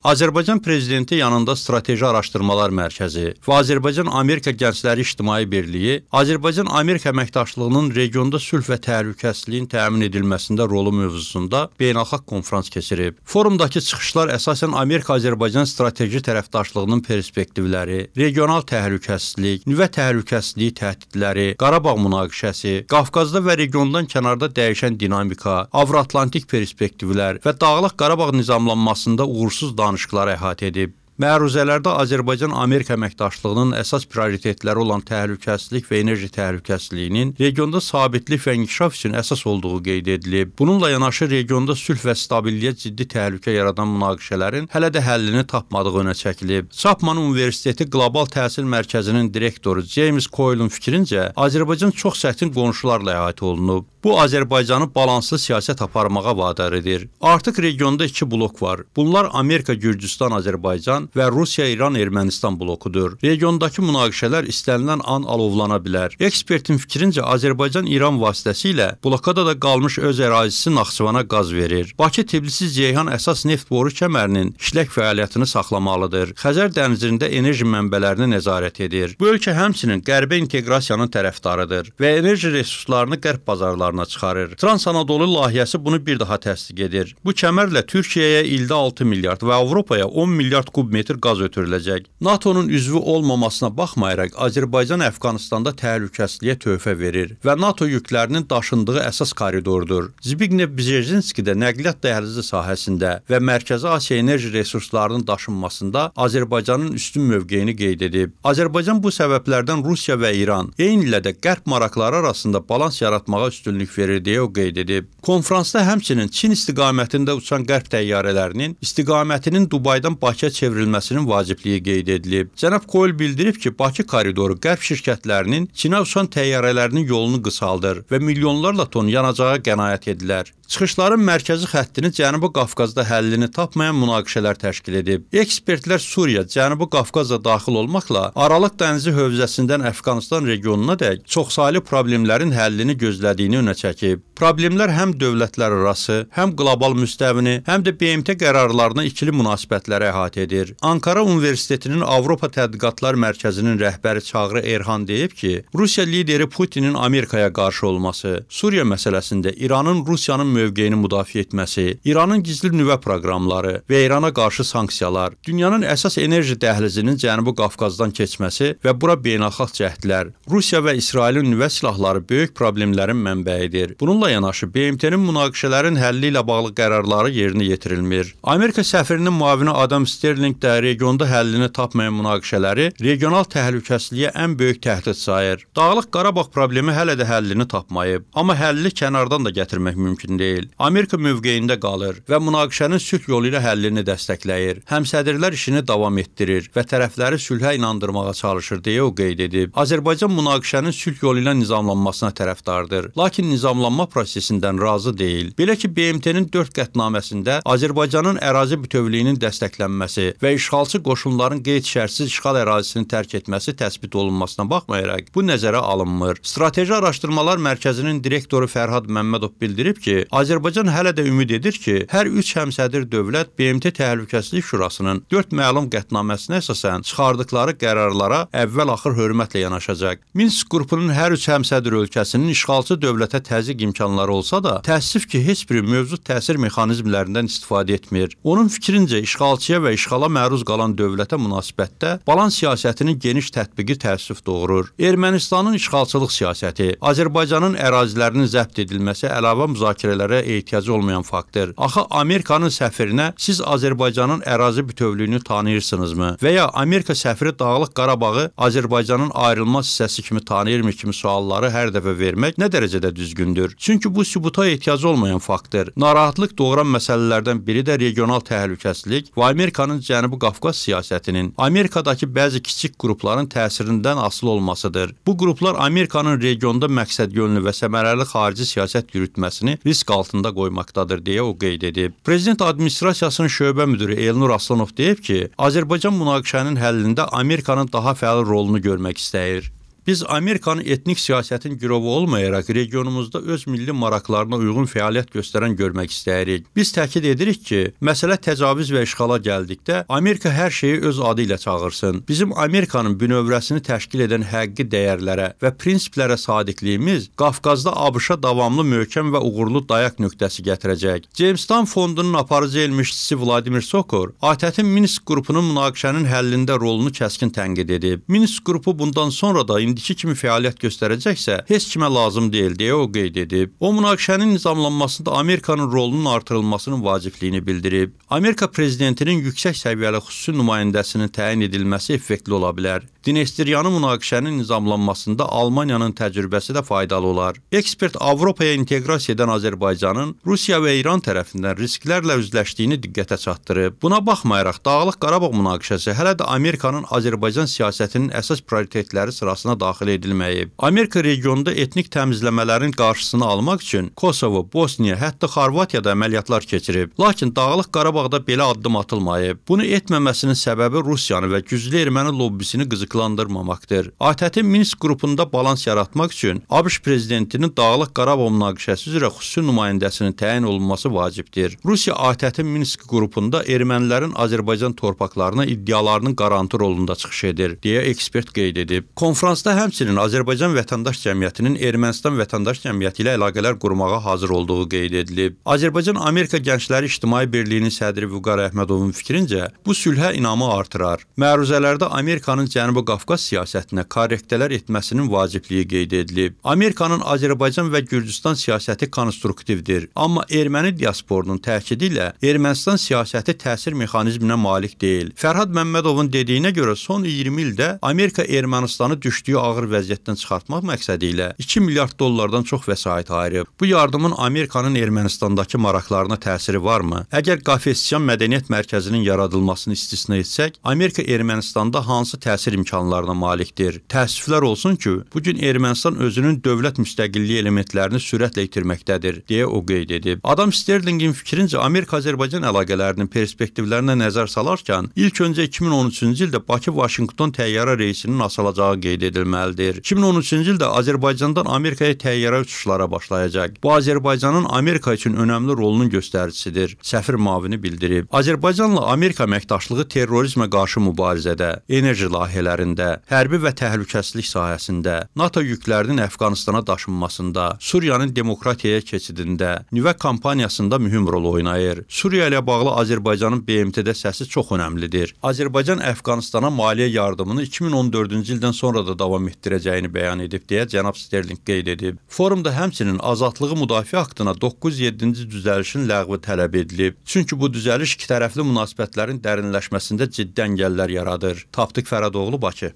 Azərbaycan Prezidenti yanında Strateji Araşdırmalar Mərkəzi və Azərbaycan-Amerika Gəncləri İctimai Birliyi Azərbaycan-Amerika əməkdaşlığının regionda sülh və təhlükəsizliyin təmin edilməsində rolu mövzusunda beynəlxalq konfrans keçirib. Forumdakı çıxışlar əsasən Amerika-Azərbaycan strateji tərəfdaşlığının perspektivləri, regional təhlükəsizlik, nüvə təhlükəsizliyi təhdidləri, Qarabağ münaqişəsi, Qafqazda və regiondan kənarda dəyişən dinamika, Avro-Atlantik perspektivlər və Dağlıq Qarabağ nizamlanmasında uğursuz danışıqları əhatə edib. Məruzələrdə Azərbaycan-Amerika əməkdaşlığının əsas prioritetləri olan təhlükəsizlik və enerji təhlükəsizliyinin regionda sabitlik və inkişaf üçün əsas olduğu qeyd edilib. Bununla yanaşı regionda sülh və stabilliyə ciddi təhlükə yaradan münaqişələrin hələ də həllini tapmadığı önə çəkilib. Chapman Universiteti Qlobal Təhsil Mərkəzinin direktoru James Coyle'un fikrincə, Azərbaycan çox çətin qonşularla əhatə olunub. Bu, Azərbaycanı balanslı siyasət aparmağa vadar edir. Artıq regionda iki blok var. Bunlar Amerika, Gürcüstan, Azərbaycan və Rusiya, İran, Ermənistan blokudur. Regiondakı münaqişələr istənilən an alovlana bilər. Ekspertin fikrincə, Azərbaycan İran vasitəsilə blokada da qalmış öz ərazisi Naxçıvana qaz verir. Bakı-Tbilisi-Ceyhan əsas neft boru kəmərinin işlək fəaliyyətini saxlamalıdır. Xəzər dənizində enerji mənbələrini nəzarət edir. Bu ölkə həmçinin qərbə inteqrasiyanın tərəfdarıdır və enerji resurslarını qərb bazarlarına çıxarır. Trans-Anadolu layihəsi bunu bir daha təsdiq edir. Bu kəmərlə Türkiyəyə ildə 6 milyard və Avropaya 10 milyard kub metr qaz ötürüləcək. NATO-nun üzvü olmamasına baxmayaraq, Azərbaycan Əfqanistanda təhlükəsizliyə töhfə verir və NATO yüklərinin daşındığı əsas koridordur. Zbigniew Bjezinski də nəqliyyat dəhlizi sahəsində və Mərkəzi Asiya enerji resurslarının daşınmasında Azərbaycanın üstün mövqeyini qeyd edib. Azərbaycan bu səbəblərdən Rusiya və İran, eyni illə də qərb maraqları arasında balans yaratmağa üstünlük verir deyə o qeyd edib. Konfransda həmçinin Çin istiqamətində uçan qərb təyyarələrinin istiqamətinin Dubaydan Bakıya çevrilməsinin vacibliyi qeyd edilib. Cənab Coyle bildirib ki, Bakı koridoru qərb şirkətlərinin Çinə uçan təyyarələrinin yolunu qısaldır və milyonlarla ton yanacağa qənaət edilər. Çıxışların mərkəzi xəttini Cənubi Qafqazda həllini tapmayan münaqişələr təşkil edib. Ekspertlər Suriya, Cənubi Qafqazda daxil olmaqla Aralıq dənizi hövzəsindən Əfqanistan regionunadək çoxsaylı problemlərin həllini gözlədiyini önə çəkib. Problemlər həm dövlətlərarası, həm qlobal müstəvini, həm də BMT qərarlarına ikili münasibətləri əhatə edir. Ankara Universitetinin Avropa Tədqiqatlar Mərkəzinin rəhbəri Çağrı Erhan deyib ki, Rusiya lideri Putinin Amerikaya qarşı olması, Suriya məsələsində İranın Rusiyanın mövqeyini müdafiə etməsi, İranın gizli nüvə proqramları və İrana qarşı sanksiyalar, dünyanın əsas enerji dəhlizinin Cənubi Qafqazdan keçməsi və bura beynəlxalq cəhdlər, Rusiya və İsrailin nüvə silahları böyük problemlərin mənbəyidir. Bununla yanaşı BMT-nin münaqişələrin həlli ilə bağlı qərarları yerinə yetirilmir. Amerika səfirinin müavini Adam Sterling də regionda həllini tapmayan münaqişələri regional təhlükəsizliyə ən böyük təhdid sayır. Dağlıq Qarabağ problemi hələ də həllini tapmayıb, amma həlli kənardan da gətirmək mümkün deyil. Amerika mövqeyində qalır və münaqişənin sülh yolu ilə həllini dəstəkləyir. Həmsədrlər işini davam etdirir və tərəfləri sülhə inandırmağa çalışır deyə o qeyd edib. Azərbaycan münaqişənin sülh yolu ilə nizamlanmasına tərəfdardır, lakin nizamlanma prosesindən razı deyil. Belə ki, BMT-nin 4 qətnaməsində Azərbaycanın ərazi bütövlüyünün dəstəklənməsi və işğalçı qoşunların qeyd-şərtsiz işğal ərazisini tərk etməsi təsbit olunmasına baxmayaraq bu nəzərə alınmır. Strateji Araşdırmalar Mərkəzinin direktoru Fərhad Məmmədov bildirib ki, Azərbaycan hələ də ümid edir ki, hər üç həmsədr dövlət BMT Təhlükəsizlik Şurasının 4 məlum qətnaməsinə əsasən çıxardıqları qərarlara əvvəl-axır hörmətlə yanaşacaq. Minsk qrupunun hər üç həmsədr ölkəsinin işğalçı dövlətə təzyiq imkanları olsa da, təəssüf ki, heç biri mövcud təsir mexanizmlərindən istifadə etmir. Onun fikrincə, işğalçıya və işğala məruz qalan dövlətə münasibətdə balans siyasətinin geniş tətbiqi təəssüf doğurur. Ermənistanın işğalçılıq siyasəti, Azərbaycanın ərazilərinin zəbt edilməsi əlavə müzakirələrə ehtiyacı olmayan faktdır. Axı Amerikanın səfirinə siz Azərbaycanın ərazi bütövlüyünü tanıyırsınızmı? Və ya Amerika səfiri Dağlıq Qarabağı Azərbaycanın ayrılmaz hissəsi kimi tanıyırmı kimi sualları hər dəfə vermək nə dərəcədə düzgündür? Çünki bu sübuta ehtiyacı olmayan faktdır. Narahatlıq doğuran məsələlərdən biri də regional təhlükəsizlik və Amerikanın Cənubi Qafqaz siyasətinin Amerikadakı bəzi kiçik qrupların təsirindən asılı olmasıdır. Bu qruplar Amerikanın regionda məqsədyönlü və səmərəli xarici siyasət yürütməsini risk altında qoymaqdadır deyə o qeyd edib. Prezident Administrasiyasının şöbə müdiri Elnur Aslanov deyib ki, Azərbaycan münaqişənin həllində Amerikanın daha fəal rolunu görmək istəyir. Biz Amerikanın etnik siyasətin girovu olmayaraq regionumuzda öz milli maraqlarına uyğun fəaliyyət göstərən görmək istəyirik. Biz təkid edirik ki, məsələ təcavüz və işğala gəldikdə Amerika hər şeyi öz adı ilə çağırsın. Bizim Amerikanın bünövrəsini təşkil edən həqiqi dəyərlərə və prinsiplərə sadiqliyimiz Qafqazda ABŞ-a davamlı möhkəm və uğurlu dayaq nöqtəsi gətirəcək. Jamestown fondunun aparıcı elmçisi Vladimir Sokor, ATƏT-in Minsk qrupunun münaqişənin həllində rolunu kəskin tənqid edib. Minsk qrupu bundan sonra da indiki kimi fəaliyyət göstərəcəksə, heç kimə lazım deyil deyə o qeyd edib. O, münaqişənin nizamlanmasında Amerikanın rolunun artırılmasının vacibliyini bildirib. Amerika prezidentinin yüksək səviyyəli xüsusi nümayəndəsinin təyin edilməsi effektli ola bilər. Dnestryanı münaqişənin nizamlanmasında Almaniyanın təcrübəsi də faydalı olar. Ekspert Avropaya inteqrasiya edən Azərbaycanın Rusiya və İran tərəfindən risklərlə üzləşdiyini diqqətə çatdırıb. Buna baxmayaraq Dağlıq Qarabağ münaqişəsi hələ də Amerikanın Azərbaycan siyasətinin əsas prioritetləri sırasına daxil edilməyib. Amerika regionda etnik təmizləmələrin qarşısını almaq üçün Kosovo, Bosniya, hətta Xorvatiyada əməliyyatlar keçirib. Lakin Dağlıq Qarabağda belə addım atılmayıb. Bunu etməməsinin səbəbi Rusiyanı və güclü erməni lobbisini qızıqlandırmamaqdır. ATƏT-in Minsk qrupunda balans yaratmaq üçün ABŞ prezidentinin Dağlıq Qarabağ münaqişəsi üzrə xüsusi nümayəndəsinin təyin olunması vacibdir. Rusiya ATƏT-in Minsk qrupunda ermənilərin Azərbaycan torpaqlarına iddialarının qarantı rolunda çıxış edir, deyə ekspert qeyd edib. Konfransda həmçinin Azərbaycan vətəndaş cəmiyyətinin Ermənistan vətəndaş cəmiyyəti ilə əlaqələr qurmağa hazır olduğu qeyd edilib. Azərbaycan-Amerika Gəncləri İctimai Birliyinin sədri Vüqar Əhmədovun fikrincə, bu sülhə inamı artırar. Məruzələrdə Amerikanın Cənubi Qafqaz siyasətinə korrektələr etməsinin vacibliyi qeyd edilib. Amerikanın Azərbaycan və Gürcüstan siyasəti konstruktivdir, amma erməni diasporunun təkidi ilə Ermənistan siyasəti təsir mexanizminə malik deyil. Fərhad Məmmədovun dediyinə görə son 20 ildə Amerika Ermənistanı düşdüyü ağır vəziyyətdən çıxartmaq məqsədi ilə 2 milyard dollardan çox vəsait ayırıb. Bu yardımın Amerikanın Ermənistandakı maraqlarına təsiri varmı? Əgər Qafesyan Mədəniyyət Mərkəzinin yaradılmasını istisna etsək, Amerika Ermənistanda hansı təsir imkanlarına malikdir? Təəssüflər olsun ki, bugün Ermənistan özünün dövlət müstəqilliyi elementlərini sürətlə itirməkdədir, deyə o qeyd edib. Adam Sterlingin fikrincə Amerika-Azərbaycan əlaqələrinin perspektivlərinə nəzər salarkən, ilk öncə 2013-cü ildə Bakı-Vaşinqton təyyarə reysinin asılacağı qeyd edilməlidir. 2013-cü ildə Azərbaycandan Amerikaya təyyarə uçuşlara başlayacaq. Bu, Azərbaycanın Amerika üçün önəmli rolunun göstəricisidir, səfir müavini bildirib. Azərbaycanla Amerika əməkdaşlığı terrorizmə qarşı mübarizədə, enerji layihələrində, hərbi və təhlükəsizlik sahəsində, NATO yüklərinin Əfqanistana daşınmasında, Suriyanın demokratiyaya keçidində, nüvə kampaniyasında mühüm rol oynayır. Suriya ilə bağlı Azərbaycanın BMT-də səsi çox önəmlidir. Azərbaycan Əfqanistana maliyyə yardımını 2014-cü ildən sonra da davam etdirəcəyini bəyan edib, deyə cənab Sterling qeyd edib. Forumda həmçinin azadlığı müdafiə aktına 907-ci düzəlişin ləğvi tələb edilib. Çünki bu düzəliş ikitərəfli münasibətlərin dərinləşməsində ciddi əngəllər yaradır. Tapdıq Fərədoğlu, Bakı.